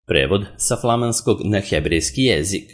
Prevod sa flamanskog na hebrejski jezik.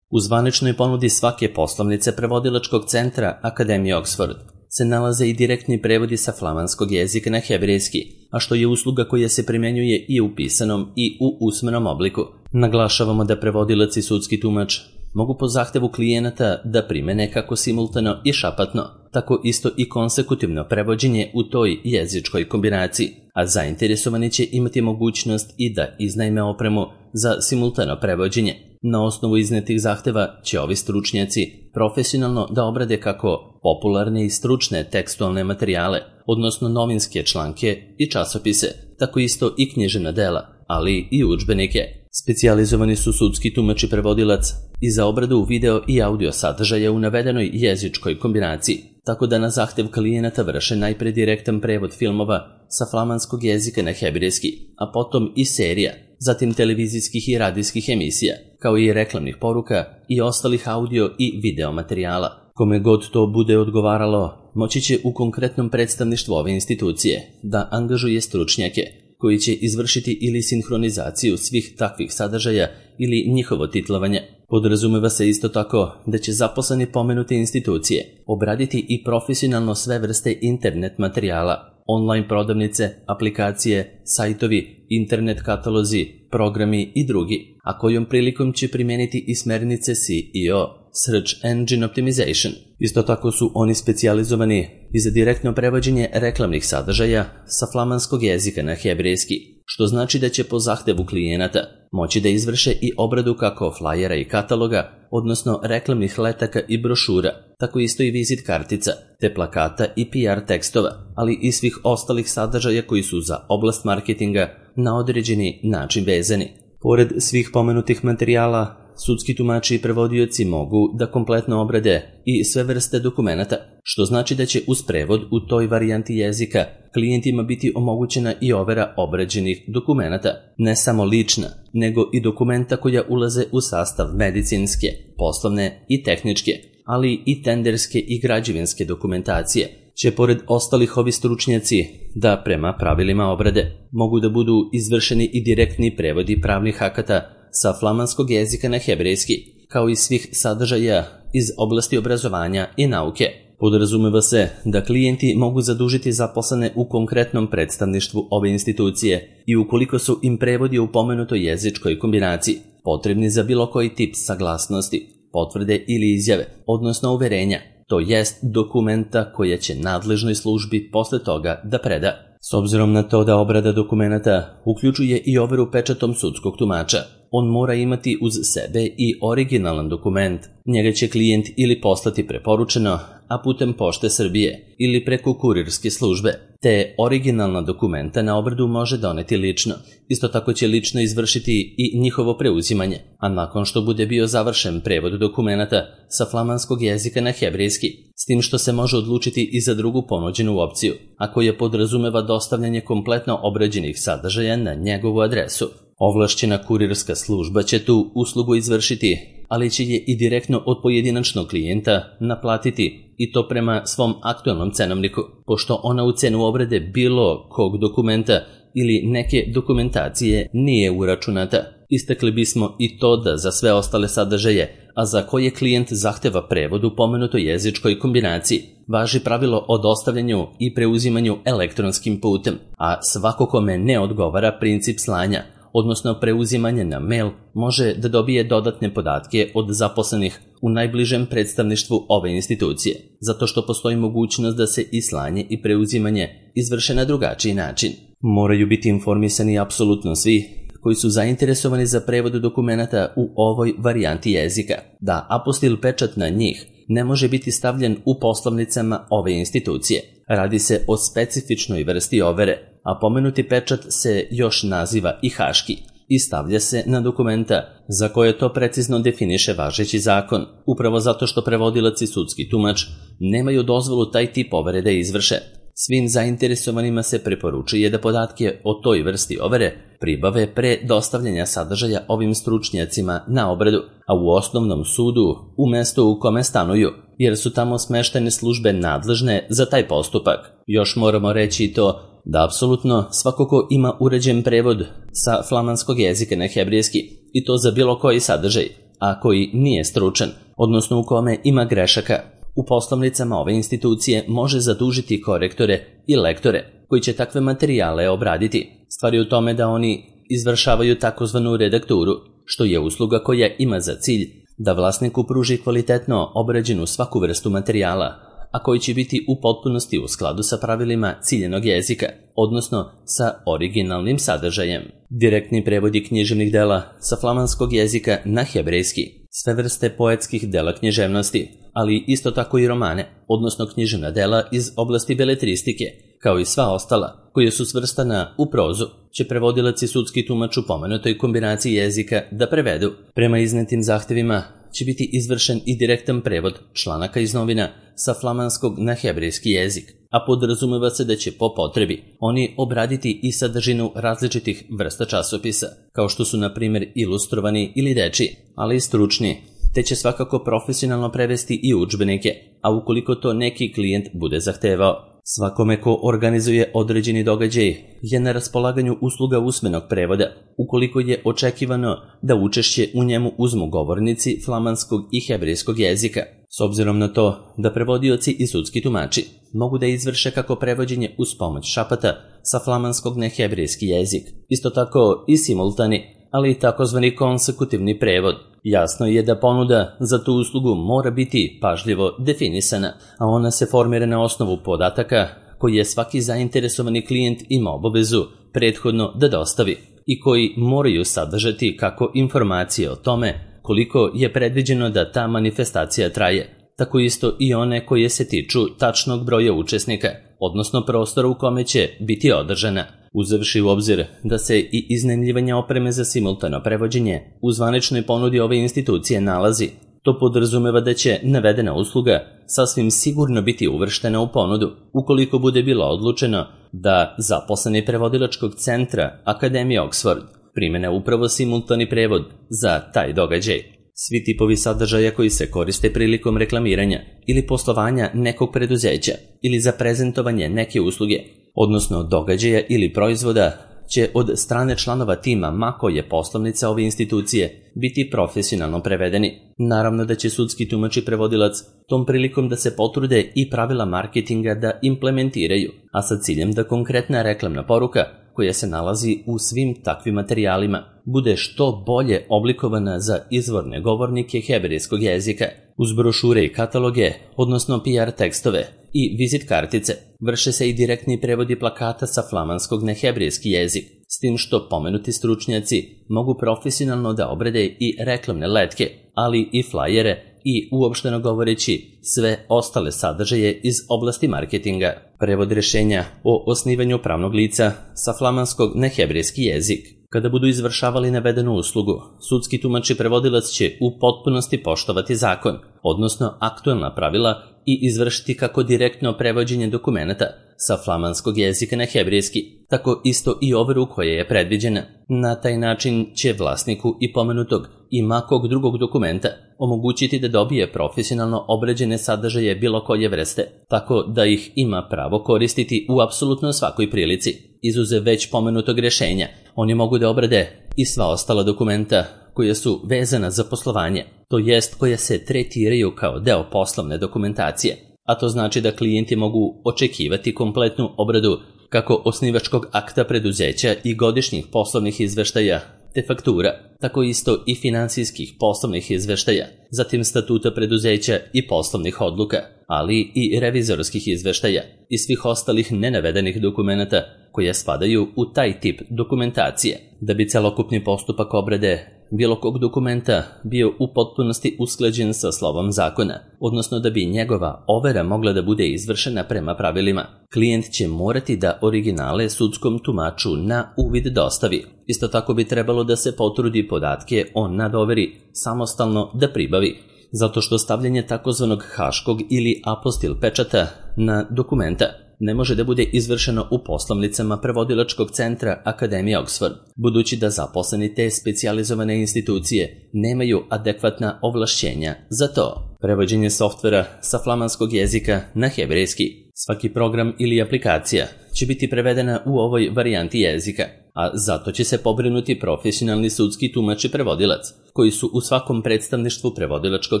U zvaničnoj ponudi svake poslovnice prevodilačkog centra Akademije Oxford se nalaze i direktni prevodi sa flamanskog jezika na hebrejski, a što je usluga koja se primjenjuje i u pisanom i u usmenom obliku. Naglašavamo da prevodilac i sudski tumač mogu po zahtevu klijenata da primene kako simultano i šapatno, tako isto i konsekutivno prevođenje u toj jezičkoj kombinaciji, a zainteresovani će imati mogućnost i da iznajme opremu za simultano prevođenje. Na osnovu iznetih zahteva će ovi stručnjaci profesionalno da obrade kako popularne i stručne tekstualne materijale, odnosno novinske članke i časopise, tako isto i književna dela, ali i udžbenike. Specijalizovani su sudski tumač i prevodilac i za obradu video i audio sadržaja u navedenoj jezičkoj kombinaciji, tako da na zahtev klijenata vrše najpre direktan prevod filmova sa flamanskog jezika na hebrejski, a potom i serija, zatim televizijskih i radijskih emisija, kao i reklamnih poruka i ostalih audio i video materijala. Kome god to bude odgovaralo, moći će u konkretnom predstavništvu ove institucije da angažuje stručnjake koji će izvršiti ili sinhronizaciju svih takvih sadržaja ili njihovo titlovanje. Podrazumeva se isto tako da će zaposleni pomenute institucije obraditi i profesionalno sve vrste internet materijala, online prodavnice, aplikacije, sajtovi, internet katalozi, programi i drugi, a kojom prilikom će primijeniti i smernice SEO, Search Engine Optimization. Isto tako su oni specijalizovani i za direktno prevođenje reklamnih sadržaja sa flamanskog jezika na hebrejski, što znači da će po zahtevu klijenata moći da izvrše i obradu kako flajera i kataloga, odnosno reklamnih letaka i brošura, tako isto i vizit kartica, te plakata i PR tekstova, ali i svih ostalih sadržaja koji su za oblast marketinga na određeni način vezani. Pored svih pomenutih materijala, sudski tumači i prevodioci mogu da kompletno obrade i sve vrste dokumenata, što znači da će uz prevod u toj varijanti jezika klijentima biti omogućena i overa obrađenih dokumenata, ne samo lična, nego i dokumenta koja ulaze u sastav medicinske, poslovne i tehničke, ali i tenderske i građevinske dokumentacije, će pored ostalih ovi stručnjaci da prema pravilima obrade mogu da budu izvršeni i direktni prevodi pravnih akata sa flamanskog jezika na hebrejski, kao i svih sadržaja iz oblasti obrazovanja i nauke. Podrazumeva se da klijenti mogu zadužiti zaposlene u konkretnom predstavništvu ove institucije i ukoliko su im prevodi u pomenutoj jezičkoj kombinaciji potrebni za bilo koji tip saglasnosti, potvrde ili izjave, odnosno uverenja, to jest dokumenta koja će nadležnoj službi posle toga da preda. S obzirom na to da obrada dokumenata uključuje i overu pečatom sudskog tumača, on mora imati uz sebe i originalan dokument. Njega će klijent ili poslati preporučeno, a putem Pošte Srbije ili preko kurirske službe, te originalna dokumenta na obradu može doneti lično. Isto tako će lično izvršiti i njihovo preuzimanje, a nakon što bude bio završen prevod dokumenata sa flamanskog jezika na hebrejski, s tim što se može odlučiti i za drugu ponuđenu opciju, a koja podrazumeva dostavljanje kompletno obrađenih sadržaja na njegovu adresu. Ovlašćena kurirska služba će tu uslugu izvršiti, ali će je i direktno od pojedinačnog klijenta naplatiti i to prema svom aktualnom cenovniku, pošto ona u cenu obrade bilo kog dokumenta ili neke dokumentacije nije uračunata. Istakli bismo i to da za sve ostale sadržaje, a za koje klijent zahteva prevod u pomenutoj jezičkoj kombinaciji, važi pravilo o dostavljanju i preuzimanju elektronskim putem, a svako kome ne odgovara princip slanja, odnosno preuzimanje na mail, može da dobije dodatne podatke od zaposlenih u najbližem predstavništvu ove institucije, zato što postoji mogućnost da se i slanje i preuzimanje izvrše na drugačiji način. Moraju biti informisani apsolutno svi koji su zainteresovani za prevod dokumenata u ovoj varijanti jezika, da apostil pečat na njih ne može biti stavljen u poslovnicama ove institucije. Radi se o specifičnoj vrsti overe, a pomenuti pečat se još naziva i haški i stavlja se na dokumenta za koje to precizno definiše važeći zakon, upravo zato što prevodilac i sudski tumač nemaju dozvolu taj tip overe da izvrše. Svim zainteresovanima se preporučuje da podatke o toj vrsti overe pribave pre dostavljanja sadržaja ovim stručnjacima na obradu, a u osnovnom sudu u mestu u kome stanuju, jer su tamo smeštene službe nadležne za taj postupak. Još moramo reći i to da apsolutno svako ko ima uređen prevod sa flamanskog jezika na hebrejski, i to za bilo koji sadržaj, a koji nije stručan, odnosno u kome ima grešaka, u poslovnicama ove institucije može zadužiti korektore i lektore koji će takve materijale obraditi. Stvar je u tome da oni izvršavaju takozvanu redakturu, što je usluga koja ima za cilj da vlasniku pruži kvalitetno obrađenu svaku vrstu materijala, a koji će biti u potpunosti u skladu sa pravilima ciljenog jezika, odnosno sa originalnim sadržajem. Direktni prevodi književnih dela sa flamanskog jezika na hebrejski, sve vrste poetskih dela književnosti, ali isto tako i romane, odnosno književna dela iz oblasti beletristike, kao i sva ostala, koje su svrstana u prozu, će prevodilac i sudski tumač u pomenutoj kombinaciji jezika da prevedu. Prema iznetim zahtevima će biti izvršen i direktan prevod članaka iz novina sa flamanskog na hebrejski jezik, a podrazumeva se da će po potrebi oni obraditi i sadržinu različitih vrsta časopisa, kao što su na primjer ilustrovani ili dečiji, ali i stručni, te će svakako profesionalno prevesti i udžbenike, a ukoliko to neki klijent bude zahtevao. Svakome ko organizuje određeni događaj je na raspolaganju usluga usmenog prevoda, ukoliko je očekivano da učešće u njemu uzmu govornici flamanskog i hebrejskog jezika, s obzirom na to da prevodioci i sudski tumači mogu da izvrše kako prevođenje uz pomoć šapata sa flamanskog na hebrejski jezik, isto tako i simultani, ali i takozvani konsekutivni prevod. Jasno je da ponuda za tu uslugu mora biti pažljivo definisana, a ona se formira na osnovu podataka koji je svaki zainteresovani klijent ima obavezu prethodno da dostavi i koji moraju sadržati kako informacije o tome koliko je predviđeno da ta manifestacija traje, tako isto i one koje se tiču tačnog broja učesnika, odnosno prostora u kome će biti održana. Uzevši u obzir da se i iznajmljivanje opreme za simultano prevođenje u zvaničnoj ponudi ove institucije nalazi, to podrazumeva da će navedena usluga sasvim sigurno biti uvrštena u ponudu, ukoliko bude bilo odlučeno da zaposleni prevodilačkog centra Akademije Oxford primene upravo simultani prevod za taj događaj. Svi tipovi sadržaja koji se koriste prilikom reklamiranja ili poslovanja nekog preduzeća ili za prezentovanje neke usluge, odnosno događaja ili proizvoda, će od strane članova tima ma koje poslovnice ove institucije biti profesionalno prevedeni. Naravno da će sudski tumač i prevodilac tom prilikom da se potrude i pravila marketinga da implementiraju, a sa ciljem da konkretna reklamna poruka koja se nalazi u svim takvim materijalima bude što bolje oblikovana za izvorne govornike hebrejskog jezika. Uz brošure i kataloge, odnosno PR tekstove i vizit kartice, vrše se i direktni prevodi plakata sa flamanskog na hebrejski jezik, s tim što pomenuti stručnjaci mogu profesionalno da obrade i reklamne letke, ali i flajere i uopšteno govoreći sve ostale sadržaje iz oblasti marketinga. Prevod rješenja o osnivanju pravnog lica sa flamanskog na hebrejski jezik. Kada budu izvršavali navedenu uslugu, sudski tumač i prevodilac će u potpunosti poštovati zakon, odnosno aktuelna pravila, i izvršiti kako direktno prevođenje dokumenata sa flamanskog jezika na hebrejski, tako isto i overu koja je predviđena. Na taj način će vlasniku i pomenutog i makog drugog dokumenta omogućiti da dobije profesionalno obrađene sadržaje bilo koje vrste, tako da ih ima pravo koristiti u apsolutno svakoj prilici. Izuzev već pomenutog rješenja, oni mogu da obrade i sva ostala dokumenta koja su vezana za poslovanje, to jest koja se tretiraju kao deo poslovne dokumentacije, a to znači da klijenti mogu očekivati kompletnu obradu kako osnivačkog akta preduzeća i godišnjih poslovnih izveštaja te faktura, tako isto i finansijskih poslovnih izveštaja, zatim statuta preduzeća i poslovnih odluka, ali i revizorskih izveštaja i svih ostalih nenavedenih dokumenata koje spadaju u taj tip dokumentacije. Da bi celokupni postupak obrade bilo kog dokumenta bio u potpunosti usklađen sa slovom zakona, odnosno da bi njegova overa mogla da bude izvršena prema pravilima, klijent će morati da originale sudskom tumaču na uvid dostavi. Isto tako bi trebalo da se potrudi podatke o nadoveri samostalno da pribavi, zato što stavljanje takozvanog haškog ili apostil pečata na dokumenta ne može da bude izvršeno u poslovnicama prevodilačkog centra Akademije Oxford, budući da zaposleni te specijalizovane institucije nemaju adekvatna ovlašćenja za to. Prevođenje softvera sa flamanskog jezika na hebrejski. Svaki program ili aplikacija će biti prevedena u ovoj varijanti jezika, a zato će se pobrinuti profesionalni sudski tumač i prevodilac, koji su u svakom predstavništvu prevodilačkog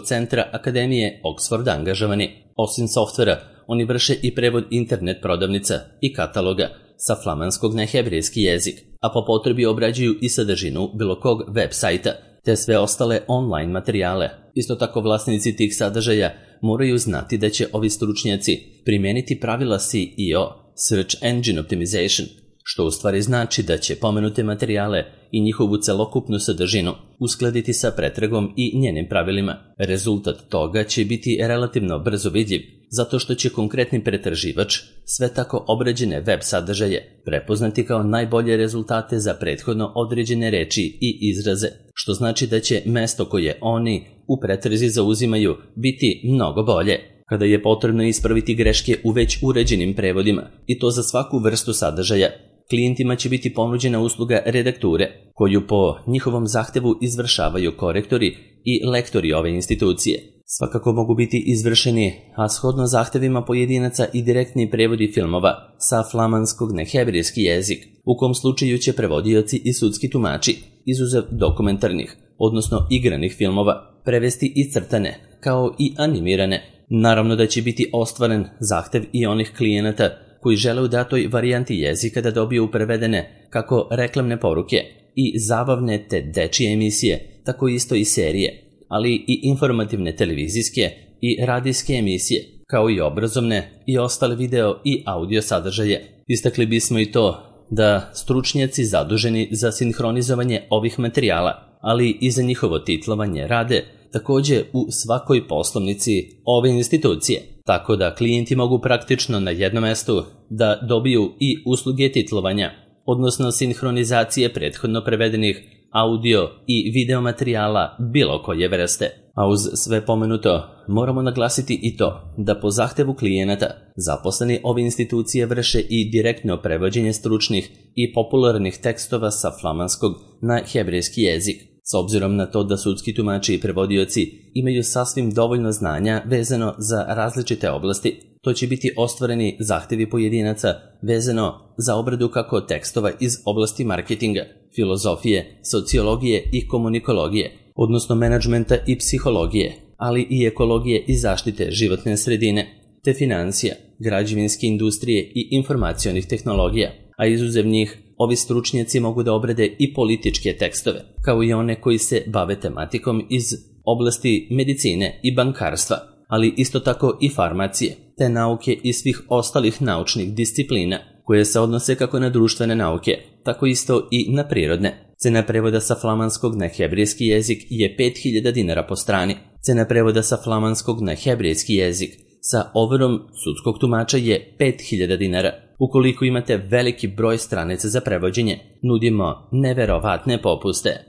centra Akademije Oxford angažovani. Osim softvera, oni vrše i prevod internet prodavnica i kataloga sa flamanskog na hebrejski jezik, a po potrebi obrađuju i sadržinu bilo kog web sajta, te sve ostale online materijale. Isto tako vlasnici tih sadržaja moraju znati da će ovi stručnjaci primijeniti pravila SEO, Search Engine Optimization, što u stvari znači da će pomenute materijale i njihovu celokupnu sadržinu uskladiti sa pretragom i njenim pravilima. Rezultat toga će biti relativno brzo vidljiv, zato što će konkretni pretraživač sve tako obrađene web sadržaje prepoznati kao najbolje rezultate za prethodno određene reči i izraze, što znači da će mesto koje oni u pretrazi zauzimaju biti mnogo bolje. Kada je potrebno ispraviti greške u već uređenim prevodima, i to za svaku vrstu sadržaja, klijentima će biti ponuđena usluga redakture, koju po njihovom zahtevu izvršavaju korektori i lektori ove institucije. Svakako mogu biti izvršeni, a shodno zahtevima pojedinaca, i direktni prevodi filmova sa flamanskog na hebrejski jezik, u kom slučaju će prevodioci i sudski tumači, izuzev dokumentarnih, odnosno igranih filmova, prevesti i crtane, kao i animirane. Naravno da će biti ostvaren zahtev i onih klijenata koji žele u datoj varijanti jezika da dobiju prevedene kako reklamne poruke i zabavne te dečije emisije, tako isto i serije, ali i informativne televizijske i radijske emisije, kao i obrazovne i ostale video i audio sadržaje. Istakli bismo i to da stručnjaci zaduženi za sinhronizovanje ovih materijala, ali i za njihovo titlovanje, rade također u svakoj poslovnici ove institucije, tako da klijenti mogu praktično na jednom mestu da dobiju i usluge titlovanja, odnosno sinhronizacije prethodno prevedenih audio i video materijala bilo koje vrste. A uz sve pomenuto, moramo naglasiti i to da po zahtevu klijenata zaposleni ove institucije vrše i direktno prevođenje stručnih i popularnih tekstova sa flamanskog na hebrejski jezik. S obzirom na to da sudski tumači i prevodioci imaju sasvim dovoljno znanja vezano za različite oblasti, to će biti ostvareni zahtevi pojedinaca vezano za obradu kako tekstova iz oblasti marketinga, filozofije, sociologije i komunikologije, odnosno menadžmenta i psihologije, ali i ekologije i zaštite životne sredine, te financija, građevinske industrije i informacionih tehnologija, a izuzev njih, ovi stručnjaci mogu da obrade i političke tekstove, kao i one koji se bave tematikom iz oblasti medicine i bankarstva, ali isto tako i farmacije, te nauke i svih ostalih naučnih disciplina, koje se odnose kako na društvene nauke, tako isto i na prirodne. Cena prevoda sa flamanskog na hebrejski jezik je 5000 dinara po strani. Cena prevoda sa flamanskog na hebrejski jezik sa overom sudskog tumača je 5000 dinara. Ukoliko imate veliki broj stranica za prevođenje, nudimo neverovatne popuste.